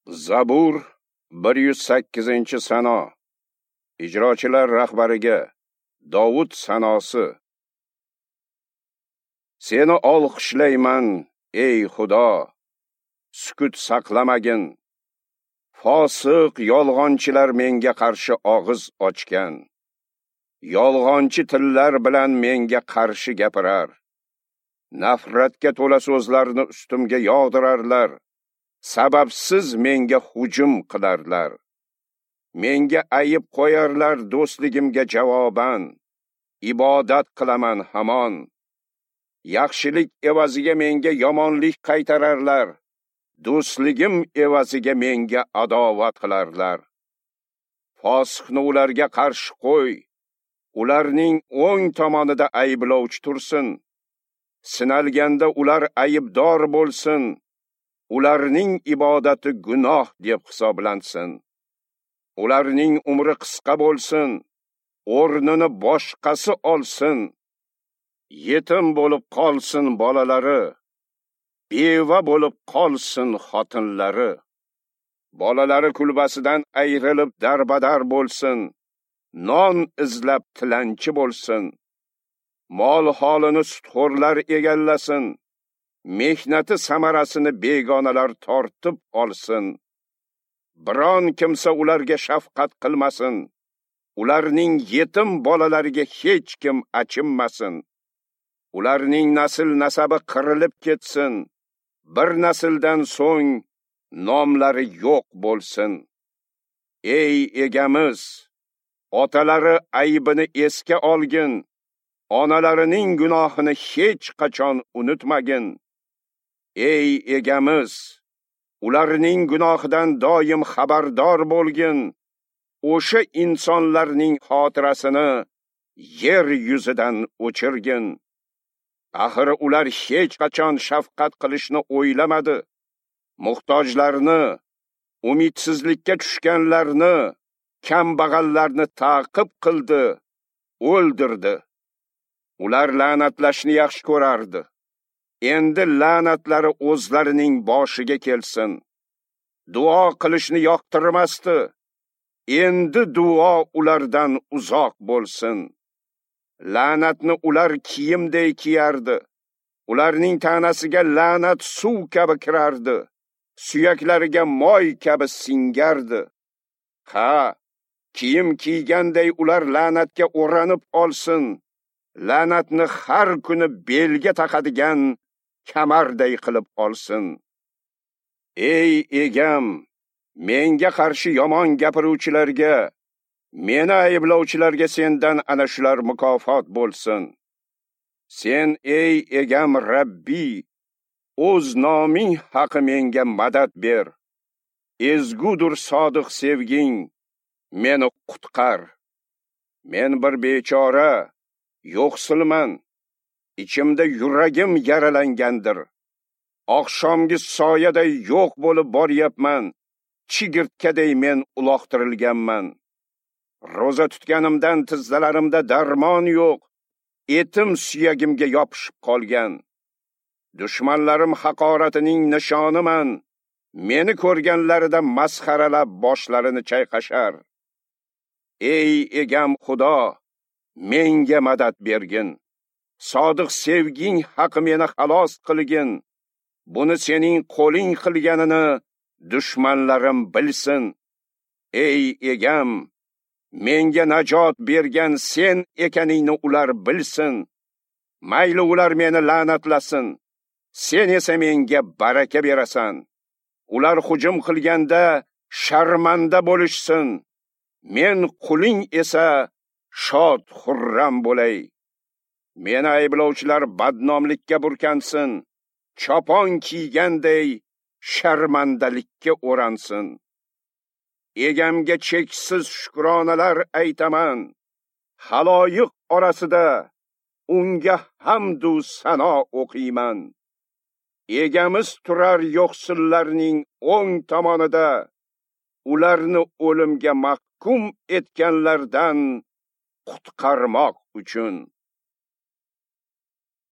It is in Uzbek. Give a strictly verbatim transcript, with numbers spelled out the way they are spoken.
Zabur bir yuz sakkizinchi sano. Ijrochilar rahbariga Dovud sanosi. Seni olqishlayman, ey Xudo, sukut saqlamagin. Fosiq yolg'onchilar menga qarshi og'iz ochgan. Yolg'onchi tillar bilan menga qarshi gapirar. Nafratga to'la so'zlarni ustimga yog'dirarlar. Sababsiz menga hujum qilarlar. Menga ayib qo'yarlar do'stligimga javoban. Ibodat qilaman hamon. Yaxshilik evaziga menga yomonlik qaytararlar. Do'stligim evaziga menga adovat qilarlar. Fosiqni ularga qarshi qo'y. Ularning o'ng tomonida ayblovchi tursin. Sinalganda ular aybdor bo'lsin. Ularning ibodati gunoh deb hisoblansin. Ularning umri qisqa bo'lsin, o'rnini boshqasi olsin. Yetim bo'lib qolsin bolalari, beva bo'lib qolsin xotinlari. Bolalari kulbasidan ayrilib darbadar bo'lsin, non izlab tilanchi bo'lsin. Mol holini sutxo'rlar egallasin. Mehnati samarasini begonalar tortib olsin. Biron kimsa ularga shafqat qilmasin. Ularning yetim bolalariga hech kim achinmasin. Ularning nasl nasabi qirilib ketsin. Bir nasldan so'ng nomlari yo'q bo'lsin. Ey egamiz, otalari aybini esga olgin. Onalarining gunohini hech qachon unutmagin. Ey egamiz, ularning gunohidan doim xabardor bo'lgin. O'sha insonlarning xotirasini yer yuzidan o'chirgin. Axir ular hech qachon shafqat qilishni o'ylamadi. Muhtojlarni, umidsizlikka tushganlarni, kambag'allarni ta'qib qildi, o'ldirdi. Ular la'natlashni yaxshi ko'rardi. Endi la'natlari o'zlarining boshiga kelsin. Duo qilishni yoqtirmasdi. Endi duo ulardan uzoq bo'lsin. La'natni ular kiyimday kiyardi. Ularning tanasiga la'nat suv kabi kirardi. Suyaklariga moy kabi singardi. Ha, kiyim kiyganday ular la'natga o'ranib olsin. La'natni har kuni belga taqadigan kamarday qilib olsin. Ey egam, menga qarshi yomon gapiruvchilarga, meni ayblovchilarga sendan ana shular mukofot bo'lsin. Sen ey egam Rabbi, o'z noming haqi menga madad ber. Ezgudir sodiq sevging, meni qutqar. Men bir bechora, yo'qsilman. İçimde yuragim yaralangandir. Oqshomgi soyaday yo'q bo'lib boryapman. Chigirtkaday men uloqtirilganman. Ro'za tutganimdan tizzalarimda darmon yo'q. Etim suyagimga yopishib qolgan. Dushmanlarim haqoratining nishoniman. Meni ko'rganlarida masxaralab boshlarini chayqashar. Ey egam Xudo, menga madad bergin. Sodiq sevging haqi meni xalos qilgin. Buni sening qo'ling qilganini dushmanlarim bilsin. Ey egam, menga najot bergan sen ekaningni ular bilsin. Mayli ular meni la'natlasin. Sen esa menga baraka berasan. Ular hujum qilganda sharmanda bo'lishsin. Men quling esa shod xurram bo'lay. Meni ayblovchilar badnomlikka burkansin, chopon kiyganday sharmandalikka o'ransin. Egamga cheksiz shukronalar aytaman. Xaloyiq orasida unga hamd u sano o'qiyman. Egamiz turar yo'qsillarning o'ng tomonida, ularni o'limga mahkum etganlardan qutqarmoq uchun.